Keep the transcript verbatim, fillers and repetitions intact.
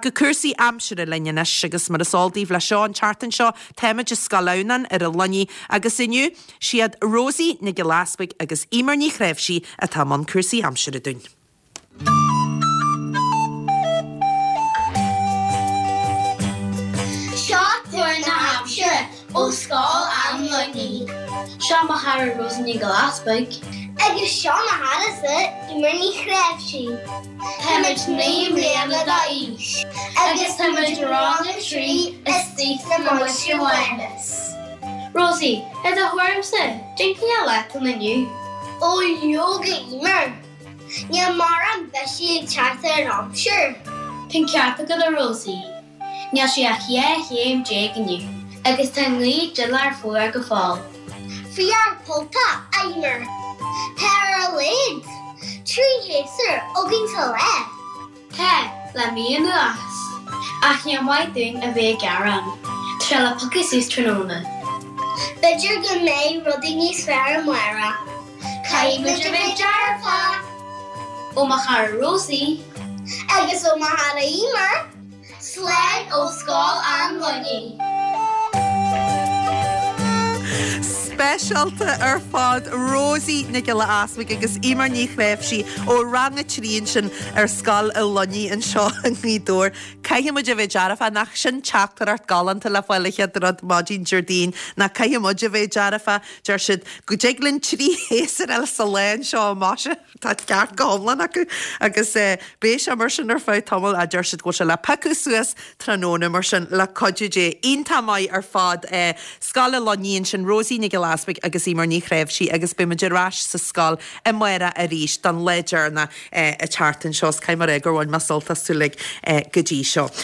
Go cúrsaí aimsire linn anois agus mar is eol daoibh le seo an tseachtain seo táimid i Scoil Adhamhnáin ar an Luinnigh agus inniu siad Rosie Nic Giolla Easbuig agus Eimear Ní Chréimhsí atá i mbun cúrsaí aimsire dúinn. Seo tuar na haimsire ó Scoil an Luinnigh. Seo mo chara Rosie Nic Giolla Easbuig. Agus seo mo charasa Eimear Ní Chréimhsí. Táimid naoi mbliana d'aois agus táimid i rang a trí istigh sna Muilte Mhánus. Rosie, i do thuairimse, cén cineál lá atá ann inniu? Ó leoga Eimear, níl mórán bisigh ag teacht ar an aimsir. Tá an ceart agat a Rosie. Níl sé ach dhá chéim déag inniu agus tá an ghaoth duilleár fuar go fóill. Fuar polltach, a Eimear. Tá ar a laghad trí shéasúr againn sa lá. Tá, le mí anuas. Ach níor mhaith dúinn a bheith ag gearán. Tá sé le piocadh suas tráthnóna. B'fhéidir go mbeidh rudaí níos fearr amárach. Caithfidh muid a bheith dearfach! Ó mo chara Rosie. Agus ó mo chara Eimear. Slán ó Scoil an Luinnigh. Speisialta ar fad Rosie Nic Giolla Easbuig agus Eimear Ní Chréimhsí ó rang a trí ansin ar Scoil an Luinnigh anseo i nGaoth Dobhair. Caithfidh muid a bheith dearfach nach sin teachtaireacht galánta le fáil an chéad rud maidin Déardaoin ná caithfidh muid a bheith dearfach, deir siad go dtig linn trí shéasúr eile sa lá anseo amach. Tá ceart go hiomlán acu agus beidh sé mar sin ar feadh tamaill a deir siad go bhfuil sé le piocadh suas tráthnóna mar sin le cuidiú Dé. Iontach maith ar fad Scoil an Luinnigh ansin Rosie Nic Giolla Easbuig agus Eimear Ní Chréimhsí agus beidh muid ar ais sa scoil amárach arís don lá deireanach an tseachtain seo. Is caithfidh mé a rá gur bhain mé sult astu uilig go dtí seo.